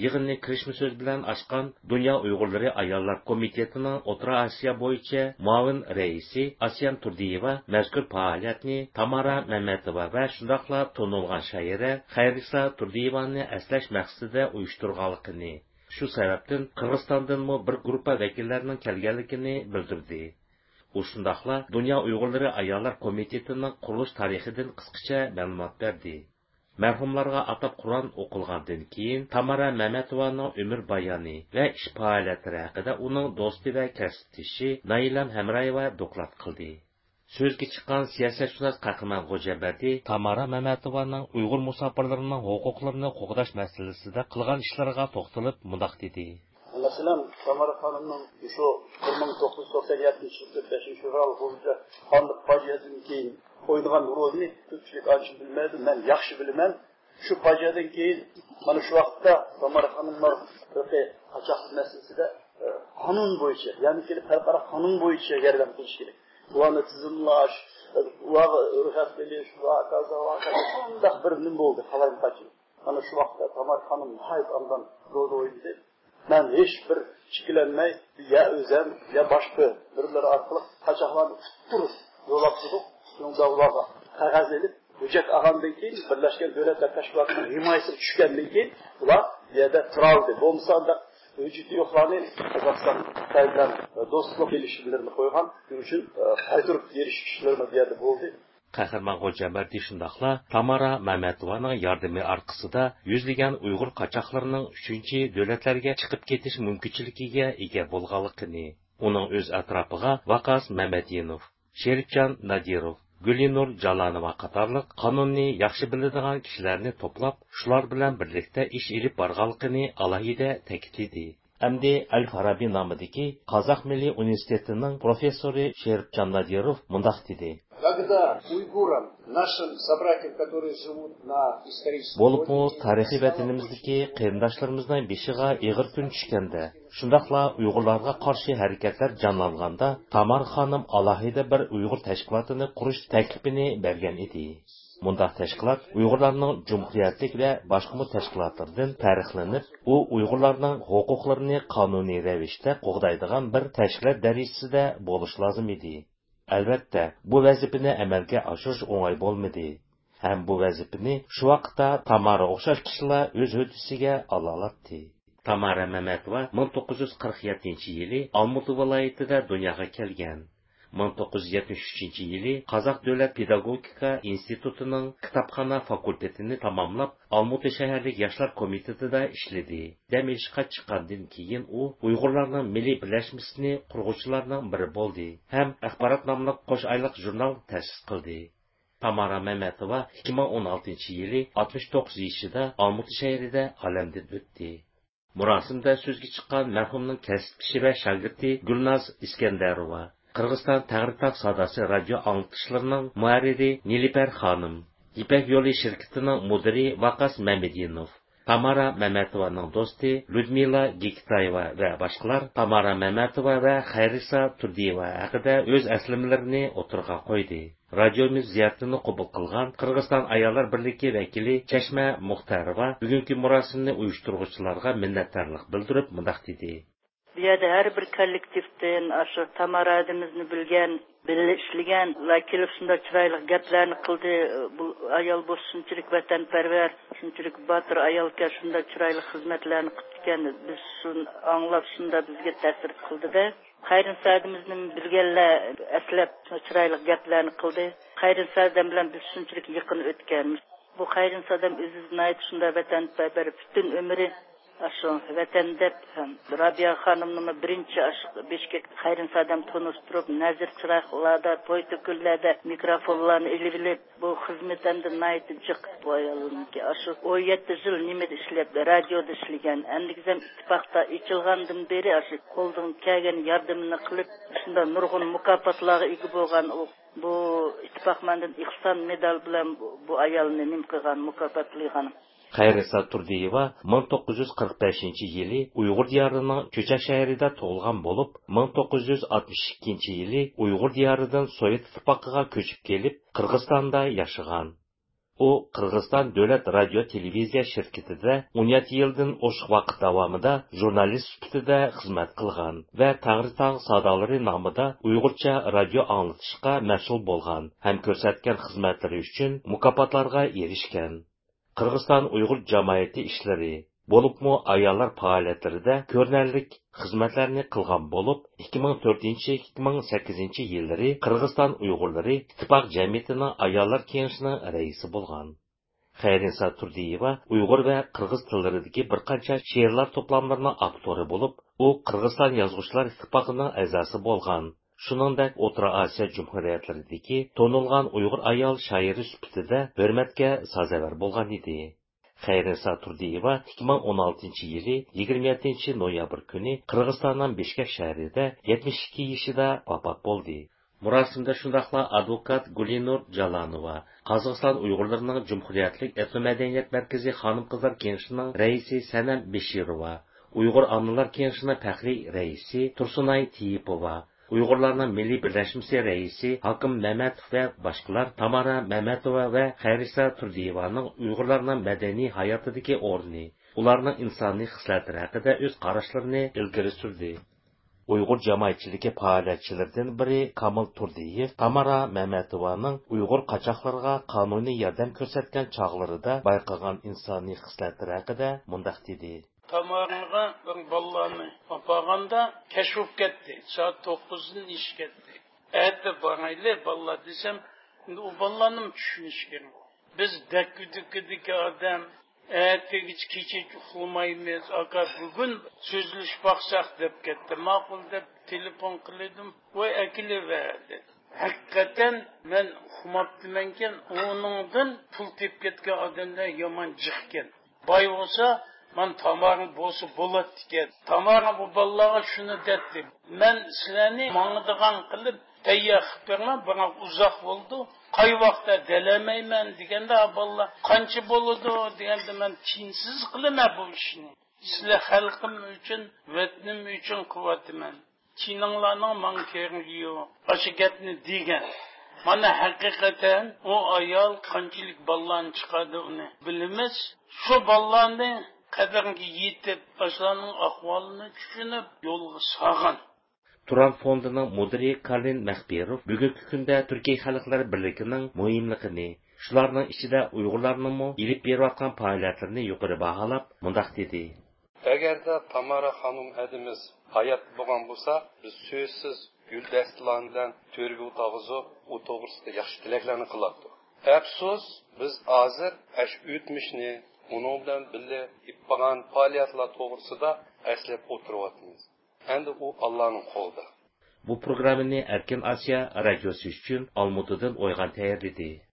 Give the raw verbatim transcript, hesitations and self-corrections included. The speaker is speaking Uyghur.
يىغىننى كىرىشمە سۆز بىلەن ئاچقان دۇنيا ئۇيغۇرلىرى ئاياللار كومىتېتىنىڭ ئوتتۇرا ئاسىيا بويىچە مۇئاۋىن رەئىسى ئاسىيان تۇردىيېۋا مەزكۇر پائالىيەتنى تامارا مەمەتوۋا ۋە شۇنداقلا تونۇلغان شائىرە خەيرىسا تۇردىيېۋانى ئەسلەش مەقسىتىدە ئۇيۇشتۇرغانلىقىنى، شۇ سەۋەبتىن قىرغىزىستاندىنمۇ بىر گۇرۇپپا ۋەكىللەرنىڭ كەلگەنلىكىنى بىلدۈردى. ئۇ شۇنداقلا دۇنيا ئۇيغۇرلىرى ئاياللار كومىتېتىنىڭ قۇرۇلۇش تارىخىدىن قىسقىچە مەلۇمات بەردى. مەرھۇملارغا ئاتاپ قۇرئان ئوقۇلغاندىن كېيىن، تامارا مەمەتوۋانىڭ ئۆمۈر بايانى ۋە ئىش پائالىيەتلىرى ھەققىدە ئۇنىڭ دوستى ۋە كەسىپدىشى نايلام ھەمرايېۋا دوكلات قىلدى. سۆزگە چىققان سىياسەتشۇناس قەھرىمان غوجامبەردى تامارا مەمەتوۋانىڭ ئۇيغۇر مۇساپىرلىرىنىڭ ھوقۇقلىرىنى قوغداش مەسىلىسىدە قىلغان ئىشلىرىغا توختىلىپ مۇنداق دېدى. مەسىلەن، تامارا خانىمنىڭ شۇ بىر مىڭ توققۇز يۈز توقسان يەتتىنچى يىل تۆت بەشىنچى فېۋرال بويىچە قانداق پاجىئەدىن كېيىن ئوينىغان رولىنى كۆپچىلىك ئانچە بىلمەيدۇ. مەن ياخشى بىلىمەن. شۇ پاجىئەدىن كېيىن مانا شۇ ۋاقىتتا تامارا خانىملار ھەققى قاچاق مەسىلىسىدە، ئە، قانۇن بويىچە، يەنى كېلىپ خەلقئارا قانۇن بويىچە ياردەم قىلىش كېرەك. ئۇلارنى تىزىملاش، ئۇلارغا رۇخسەت بېرىش، ۋە ھاكازا، ۋە ھاكازا، شۇنداق بىر نېمە بولدى، قالايمىقانچىلىق. مانا شۇ ۋاقىتتا تامارا خانىم ناھايىتى ئاندىن رول ئوينىدى. مەن ھېچ بىر ئىككىلەنمەي، يا ئۆزەم، يا باشقا بىرلىرى ئارقىلىق قاچاقلارنى ئۇتتۇرۇپ يول ئاپتۇق. شۇنىڭدا ئۇلارغا قەغەز ئېلىپ، ھۆججەت ئالغاندىن كېيىن، بىرلەشكەن دۆلەتلەر تەشكىلاتىنىڭ ھىمايىسىگە چۈشكەندىن كېيىن، ئۇلار بۇ يەردە تۇرالىدى. بولمىسا، ئانداق ھۆججىتى يوقلارنى قازاقىستان، خىتاي بىلەن دوستلۇق كېلىشىملىرىنى قويغان. شۇنىڭ ئۈچۈن، ئە، قايتۇرۇپ بېرىش ئىشلىرىمۇ بۇ يەردە بولدى. قەھرىمان غوجامبەردى شۇنداقلا تامارا مەمەتوۋانىڭ ياردىمى ئارقىسىدا يۈزلىگەن ئۇيغۇر قاچاقلىرىنىڭ ئۈچىنچى دۆلەتلەرگە چىقىپ كېتىش مۇمكىنچىلىكىگە ئىگە بولغانلىقىنى، ئۇنىڭ ئۆز ئەتراپىغا ۋاقاس مەمەدىنوف، شېرىپجان نادىروف، گۈلىنۇر جالانوۋا قاتارلىق قانۇننى ياخشى بىلىدىغان كىشىلەرنى توپلاپ، شۇلار بىلەن بىرلىكتە ئىش ئېلىپ بارغانلىقىنى ئالاھىدە تەكىتلىدى. ئەمدى ئەل فارابى نامىدىكى قازاق مىللىي ئۇنىۋېرسىتېتىنىڭ پروفېسسورى شېرىپجان نادىروف مۇنداق دېدى. Когда уйгурам, нашим собратьям, которые живут на исторической بولۇپمۇ родине, تارىخىي ۋەتىنىمىزدىكى قېرىنداشلىرىمىزنىڭ بېشىغا ئېغىر كۈن چۈشكەندە، شۇنداقلا ئۇيغۇرلارغا قارشى ھەرىكەتلەر جانلانغاندا، تامارا خانىم ئالاھىدە بىر ئۇيغۇر تەشكىلاتىنى قۇرۇش تەكلىپىنى بەرگەن ئىدى. مۇنداق تەشكىلات ئۇيغۇرلارنىڭ جۇمھۇرىيەتلىك ۋە باشقىمۇ تەشكىلاتلاردىن پەرقلىنىپ، ئۇ ئۇيغۇرلارنىڭ ھوقۇقلىرىنى قانۇنىي رەۋىشتە قوغدايدىغان بىر تەشكىلات دەرىجىسىدە بولۇشى لازىم ئىدى. ئەلۋەتتە، بۇ ۋەزىپىنى ئەمەلگە ئاشۇرۇش ئوڭاي بولمىدى. ھەم بۇ ۋەزىپىنى شۇ ۋاقىتتا تامارا ئوخشاش كىشىلەر ئۆز ھۆددىسىگە ئالالاتتى. تامارا مەمەتوۋا مىڭ توققۇز يۈز قىرىق يەتتىنچى يىلى ئالمۇتا ۋىلايىتىدە دۇنياغا كەلگەن. مىڭ توققۇز يۈز يەتمىش ئۈچىنچى يىلى قازاق دۆلەت پېداگوگىكا ئىنستىتۇتىنىڭ كىتابخانا فاكۇلتېتىنى تاماملاپ، ئالمۇتا شەھەرلىك ياشلار كومىتېتىدا ئىشلىدى. دەم ئېلىشقا چىققاندىن كېيىن، ئۇ ئۇيغۇرلارنىڭ مىللىي بىرلەشمىسىنى قۇرغۇچىلارنىڭ بىرى بولدى ھەم ئەخبارات ناملىق قوش ئايلىق ژۇرنال تەسىس قىلدى. تامارا مەمەتوۋا ئىككى مىڭ ئون ئالتىنچى يىلى ئاتمىش توققۇز يېشىدا ئالمۇتا شەھىرىدە ئالەمدىن ئۆتتى. مۇراسىمدا سۆزگە چىققان مەرھۇمنىڭ كەسىپدىشى ۋە شاگىرتى گۈلناز ئىسكەندەروۋا، قىرغىزىستان تەڭرىتاغ ساداسى رادىيو ئاڭلىتىشلىرىنىڭ مۇھەررىرى نىلۇپەر خانىم، يىپەك يولى شىركىتىنىڭ مۇدىرى ۋاقاس مەمەدىنوف، تامارا مەمەتوۋانىڭ دوستى لۇدمىلا گېكىتايېۋا ۋە باشقىلار تامارا مەمەتوۋا ۋە خەيرىسا تۇردىيېۋا ھەققىدە ئۆز ئەسلىمىلىرىنى ئوتتۇرىغا قويدى. رادىيومىز زىيارىتىنى قوبۇل قىلغان قىرغىزىستان ئاياللار بىرلىكى ۋەكىلى چەشمە مۇختەروۋا بۈگۈنكى مۇراسىمنى ئۇيۇشتۇرغۇچىلارغا مىننەتدارلىق بىلدۈرۈپ مۇنداق دېدى. بۇ يەردە ھەر بىر كوللېكتىپتىن، ئاشۇ تامارا ھەدىمىزنى بىلگەن، بىللە ئىشلىگەنلەر كېلىپ شۇنداق چىرايلىق گەپلەرنى قىلدى. بۇ ئايال بولسا شۇنچىلىك ۋەتەنپەرۋەر، شۇنچىلىك باتۇر ئايالكەن، شۇنداق چىرايلىق خىزمەتلەرنى قىپتىكەن. بىز شۇنى ئاڭلاپ شۇنداق بىزگە تەسىر قىلدىدە. خەيرىنىسا ھەدىمىزنى بىلگەنلەر ئەسلەپ چىرايلىق گەپلەرنى قىلدى. خەيرىنىسا ھەدەم بىلەن بىز شۇنچىلىك يېقىن ئۆتكەن. بۇ خەيرىنىسا ھەدەم ئۆزى ناھايىتى شۇنداق ۋەتەنپەرۋەر، پۈتۈن ئۆمرى ئاشۇ ۋەتەن دەپ، رابىيە خانىمنىمۇ بىرىنچى ئاشۇ بىشكەك خەيرىنىسا ھەدەم تونۇشتۇرۇپ، نەزىر چىراغلاردا، توي-تۆكۈنلەردە مىكروفونلارنى ئېلىۋېلىپ، بۇ خىزمىتى ئەمدى ناھايىتى جىق بۇ ئايالنىڭكى. ئاشۇ ئون يەتتە يىل نېمىدە ئىشلەپ، رادىيودا ئىشلىگەن. ئەمدىكىزەم ئىتتىپاقتا ئېچىلغاندىن بېرى ئاشۇ قولىدىن كەلگەن ياردىمىنى قىلىپ، شۇنداق نۇرغۇن مۇكاپاتلارغا ئىگە بولغان ئۇ. بۇ ئىتتىپاق مەندىن ئېھسان مېدال بىلەن بۇ، بۇ ئايالنى نېمە قىلغان، مۇكاپاتلىغان. خەيرىسا تۇردىيېۋا مىڭ توققۇز يۈز قىرىق بەشىنچى يىلى ئۇيغۇر دىيارىنىڭ چۆچەك شەھىرىدە تۇغۇلغان بولۇپ، مىڭ توققۇز يۈز ئاتمىش ئىككىنچى يىلى ئۇيغۇر دىيارىدىن سوۋېت ئىتتىپاقىغا كۆچۈپ كېلىپ، قىرغىزىستاندا ياشىغان. ئۇ قىرغىزىستان دۆلەت رادىيو تېلېۋىزىيە شىركىتىدە ئون يەتتە يىلدىن ئوشۇق ۋاقىت داۋامىدا ژۇرنالىست سۈپىتىدە خىزمەت قىلغان ۋە تەڭرىتاغ سادالىرى نامىدا ئۇيغۇرچە رادىيو ئاڭلىتىشقا مەسئۇل بولغان ھەم كۆرسەتكەن خىزمەتلىرى ئۈچۈن مۇكاپاتلارغا ئېرىشكەن. قىرغىزىستان ئۇيغۇر جامائىتى ئىشلىرى، بولۇپمۇ ئاياللار پائالىيەتلىرىدە كۆرۈنەرلىك خىزمەتلەرنى قىلغان بولۇپ، ئىككى مىڭ تۆتىنچى، ئىككى مىڭ سەككىزىنچى يىللىرى قىرغىزىستان ئۇيغۇرلىرى ئىتتىپاق جەمئىيىتىنىڭ ئاياللار كېڭىشىنىڭ رەئىسى بولغان. خەيرىنسا تۇردىيېۋا ئۇيغۇر ۋە قىرغىز تىللىرىدىكى بىر قانچە شېئىرلار توپلاملىرىنىڭ ئاپتورى بولۇپ، ئۇ قىرغىزىستان يازغۇچىلار ئىتتىپاقىنىڭ ئەزاسى بولغان. شۇنىڭدەك ئوتتۇرا ئاسىيا جۇمھۇرىيەتلىرىدىكى تونۇلغان ئۇيغۇر ئايال شائىرى سۈپىتىدە ھۆرمەتكە سازاۋەر بولغان ئىدى. خەيرىنسا تۇردىيېۋا ئىككى مىڭ ئون ئالتىنچى يىلى يىگىرمە يەتتىنچى نويابىر كۈنى قىرغىزىستاننىڭ بىشكەك شەھىرىدە يەتمىش ئىككى يېشىدا ۋاپات بولدى. مۇراسىمدا شۇنداقلا ئادۋوكات گۈلىنۇر جالانوۋا، قازاقىستان ئۇيغۇرلىرىنىڭ جۇمھۇرىيەتلىك ئېتنومەدەنىيەت مەركىزى خانىم-قىزلار كېڭىشىنىڭ رەئىسى سەنەم بېشىروۋا، ئۇيغۇر ئانىلار كېڭىشىنىڭ پەخرىي رەئىسى تۇرسۇنئاي تېيىپوۋا، ئۇيغۇرلارنىڭ مىللىي بىرلەشمىسى رەئىسى ھاكىم مەمەتوف ۋە باشقىلار تامارا مەمەتوۋا ۋە خەيرىسا تۇردىيېۋانىڭ ئۇيغۇرلارنىڭ مەدەنىي ھاياتىدىكى ئورنى، ئۇلارنىڭ ئىنسانىي خىسلەتلىرى ھەققىدە ئۆز قاراشلىرىنى ئىلگىرى سۈردى. ئۇيغۇر جامائەتچىلىكى پائالىيەتچىلىرىدىن بىرى كامىل تۇردىيېۋ تامارا مەمەتوۋانىڭ ئۇيغۇر قاچاقلىرىغا قانۇنىي ياردەم كۆرسەتكەن چاغلىرىدا بايقىغان ئىنسانىي خىسلەتلىرى ھەققىدە مۇنداق دېدى. تامارىغا بىر بالىلارنى ئاپارغاندا كەچ بولۇپ كەتتى. سائەت توققۇزدىن ئېشىپ كەتتى. ئەتە بارايلى بالىلار دېسەم، ئەمدى ئۇ بالىلارنىمۇ چۈشىنىش كېرەك. بىز دەككە-دۈككىدىكى ئادەم، ئەتىگىچە كېچىچە ئۇخلىمايمىز. ئاكا، بۈگۈن سۆزلىشىپ باقساق دەپ كەتتى. ماقۇل دەپ تېلېفون قىلدىم. ۋاي، ئەكېلىۋەردى. ھەقىقەتەن مەن ئۇقماپتىمەنكەن، ئۇنىڭدىن پۇل تېپىپ كەتكەن ئادەملەر يامان جىقكەن. باي بولسا، مانا تامارىڭ بولسا بولاتتىكەن. تامارا بۇ بالىلارغا شۇنى دەتتى. مەن سىلەرنى ماڭىدىغان قىلىپ تەييار قىلىپ بېرىمەن، بىراق ئۇزاق بولىدۇ. قاي ۋاقىتتا دەلەمەيمەن دېگەندە، بالىلار قانچە بولىدۇ دېگەندە، مەن تىيىنسىز قىلىمەن بۇ ئىشنى. سىلەر خەلقىم ئۈچۈن، ۋەتىنىم ئۈچۈن قىلىۋاتىمەن. تىيىنىڭلارنىڭ ماڭا كېرىكى يوق. ئاشۇ گەپنى دېگەن. مانا ھەقىقەتەن ئۇ ئايال قانچىلىك بالىلارنى چىقاردى ئۇنى بىلىمىز. شۇ بالىلارنى قەدرىگە يېتىپ، ئاشۇلارنىڭ ئەھۋالىنى چۈشىنىپ يولغا سالغان. تۇران فوندىنىڭ مۇدىرى كارلىن مەخپىروف بۈگۈنكى كۈندە تۈركىي خەلقلەر بىرلىكىنىڭ مۇھىملىقىنى، شۇلارنىڭ ئىچىدە ئۇيغۇرلارنىڭمۇ ئېلىپ بېرىۋاتقان پائالىيەتلىرىنى يۇقىرى باھالاپ مۇنداق دېدى. ئەگەردە تامارا خانىم ئەدىمىز ھايات بولغان بولسا، بىز سۆزسىز گۈل دەستىلەر بىلەن تۆرگە ئولتۇرغۇزۇپ، ئۇ توغرىسىدا ياخشى تىلەكلەرنى قىلاتتۇق. ئەپسۇس، بىز ھازىر ئەش ئۆتمۈشنى، ئۇنىڭ بىلەن بىللە ئېلىپ بارغان پائالىيەتلەر توغرىسىدا ئەسلەپ ئولتۇرۇۋاتىمىز. ئەمدى ئۇ ئاللانىڭ قولىدا. بۇ پروگراممىنى ئەركىن ئاسىيا رادىيوسى ئۈچۈن ئالمۇتىدىن ئويغان تەييارلىدى.